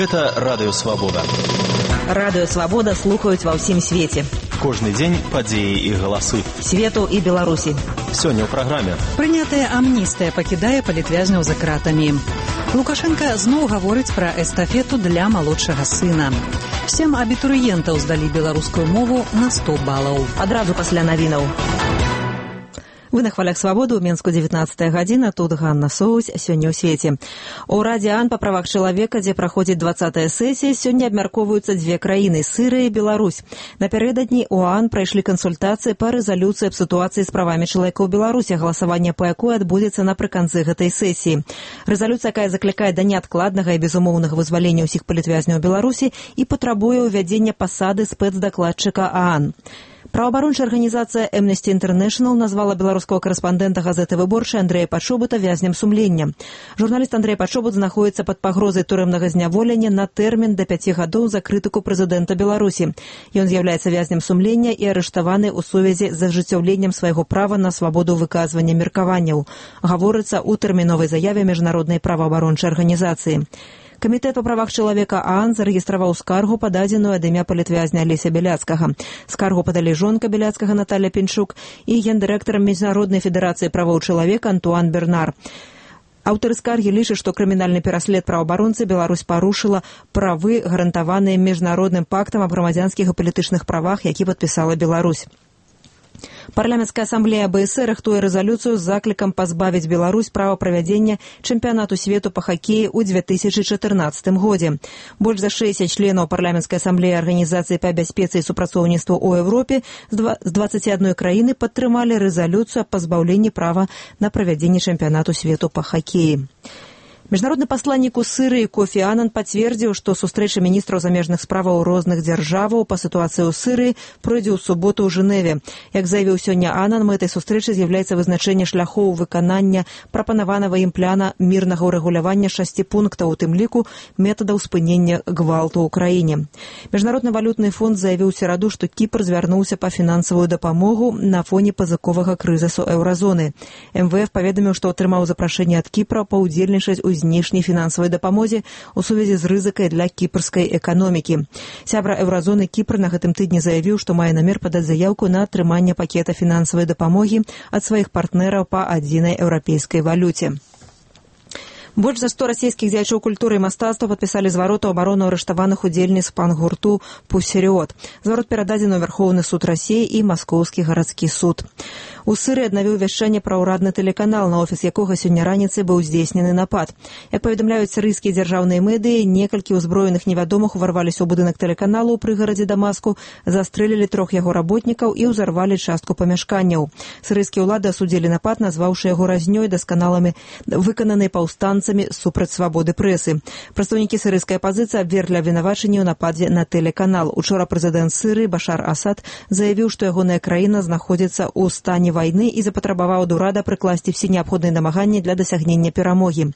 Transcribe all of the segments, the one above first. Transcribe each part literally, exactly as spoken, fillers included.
Гэта Радыё Свабода. Радыё Свабода слухаюць ва ўсім свеце. Кожны дзень падзеі і галасы. Свету і Беларусі. Сёння ў праграме. Прынятая амністыя пакідае палітвязняў за кратамі. Лукашенко зноў гаворыць пра эстафету для малодшага сына. Сем абітурыентаў здалі беларускую мову на сто балаў. Адразу пасля навінаў. Вы на хвалях Свабоды, ў Менску дзевятнаццатая гадзіна, тут Ганна Соусь, сёння ў свеце. У Радзе ААН па правах чалавека, дзе праходзіць дваццатая сесія, сёння абмяркоўваюцца дзве краіны – Сырыя і Беларусь. Напярэдадні ў ААН прайшлі кансультацыі па рэзалюцыі аб сітуацыі з правамі чалавека ў Беларусі, галасаванне па якой адбудзецца напрыканцы гэтай сесіі. Рэзалюцыя, якая заклікае да неадкладнага і безумоўнага вызвалення ўсіх палітвязняў Беларусі і патрабуе ўвядзення пасады спецдакладчыка ААН. Праваабарончая арганізацыя Amnesty International назвала беларускага карэспандэнта газеты «Выборчая» Андрэя Пачобута вязнем сумлення. Журналіст Андрэй Пачобут знаходзіцца пад пагрозай турэмнага зняволення на тэрмін да пяці гадоў за крытыку прэзідэнта Беларусі. Ён з'яўляецца вязнем сумлення і арыштаваны ў сувязі з ажыццяўленнем свайго права на свабоду выказвання меркаванняў. Гаворыцца ў тэрміновай заяве міжнароднай праваабарончай арганізацыі. Камітэт па правах чалавека ААН зарэгістраваў скаргу, пададзеную ад імя палітвязня Алеся Бяляцкага. Скаргу падалі жонка Бяляцкага Наталья Пінчук і гендырэктар Міжнароднай федэрацыі правоў чалавека Антуан Бернар. Аўтары скаргі лічаць, што крымінальны пераслед праваабаронцы Беларусь парушыла правы, гарантаваныя міжнародным пактам аб грамадзянскіх і палітычных правах, які падпісала Беларусь. Парламенцкая асамблея БСР рыхтуе рэзалюцыю з заклікам пазбавіць Беларусь права правядзення чэмпіянату свету па хакеі ў дзве тысячы чатырнаццатым годзе. Больш за шэсцьдзесят членаў парламенцкай асамблеі арганізацыі па бяспецы і супрацоўніцтву ў Еўропе з дваццаці адной краіны падтрымалі рэзалюцыю аб пазбаўленні права на правядзенне чэмпіянату свету па хакеі. Міжнародны пасланнік у Сырыі Кофі Анан пацвердзіў, што сустрэча міністраў замежных справаў розных дзяржаваў па сітуацыі ў Сырыі пройдзе ў суботу ў Жэневе. Як заявіў сёння Анан, мэтай сустрэчы з'яўляецца вызначэнне шляхоў выканання прапанаванага ім пляна мірнага ўрэгулявання шасці пунктаў, у тым ліку метадаў спынення гвалту ў краіне. Міжнародны валютны фонд заявіў у сераду, што Кіпр звярнуўся па фінансавую дапамогу на фоне пазыковага крызісу еўразоны. эм вэ эф паведаміў, што атрымаў запрашэнне ад Кіпра паўдзельнічаць у знешняй фінансавай дапамозе ў сувязі з рызыкай для кіпрскай эканомікі. Сябра еўразоны Кіпр на гэтым тыдні заявіў, што мае намер падаць заяўку на атрыманне пакета фінансавай дапамогі ад сваіх партнераў па адзінай еўрапейскай валюце. Больш за сто расійскіх дзеячоў культуры і мастацтва падпісалі зварот у абарону арыштаваных удзельніц пан-гурту «Пусерёд». Зварот перададзены ў Вярхоўны суд Расіі і Маскоўскі гарадскі суд. У Сырыі аднавіў вяшчанне пра ўрадны тэлеканал, на офіс якога сёння раніцай быў здзейснены напад. Як паведамляюць сырыйскія дзяржаўныя медыі, некалькі ўзброеных невядомых уварваліся ў будынак тэлеканалу ў прыгарадзе Дамаску, застрэлілі трох яго работнікаў і ўзарвалі частку памяшканняў. Сырыйскія ўлады асудзілі напад, назваўшы яго разнёй дасканалымі выкананай паўстанцамі супраць свабоды прэсы. Прадстаўнікі сырыйскай апазіцыі абверглі абвінавачанні ў нападзе на тэлеканал. Учора прэзідэнт Сырыі Башар Асад заявіў, што ягоная краіна знаходзіцца ў стане вайны і запатрабаваў ад урада прыкласці ўсе неабходныя намаганні для дасягнення перамогі.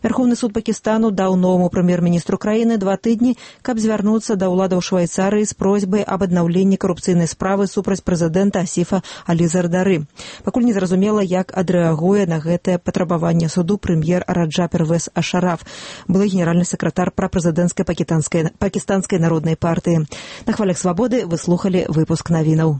Верховны суд Пакістану даў новаму прэм'ер-міністру краіны два тыдні, каб звярнуцца да ўладаў Швайцарыі з просьбай аб аднаўленні карупцыйнай справы супраць прэзідэнта Асіфа Алі Зардары. Пакуль незразумела, як адрэагуе на гэтае патрабаванне суду прэм'ер Раджа Первез Ашараф, былы генеральны сакратар прапрэзідэнцкай пакістанскай народнай партыі. На хвалях Свабоды вы слухалі выпуск навінаў.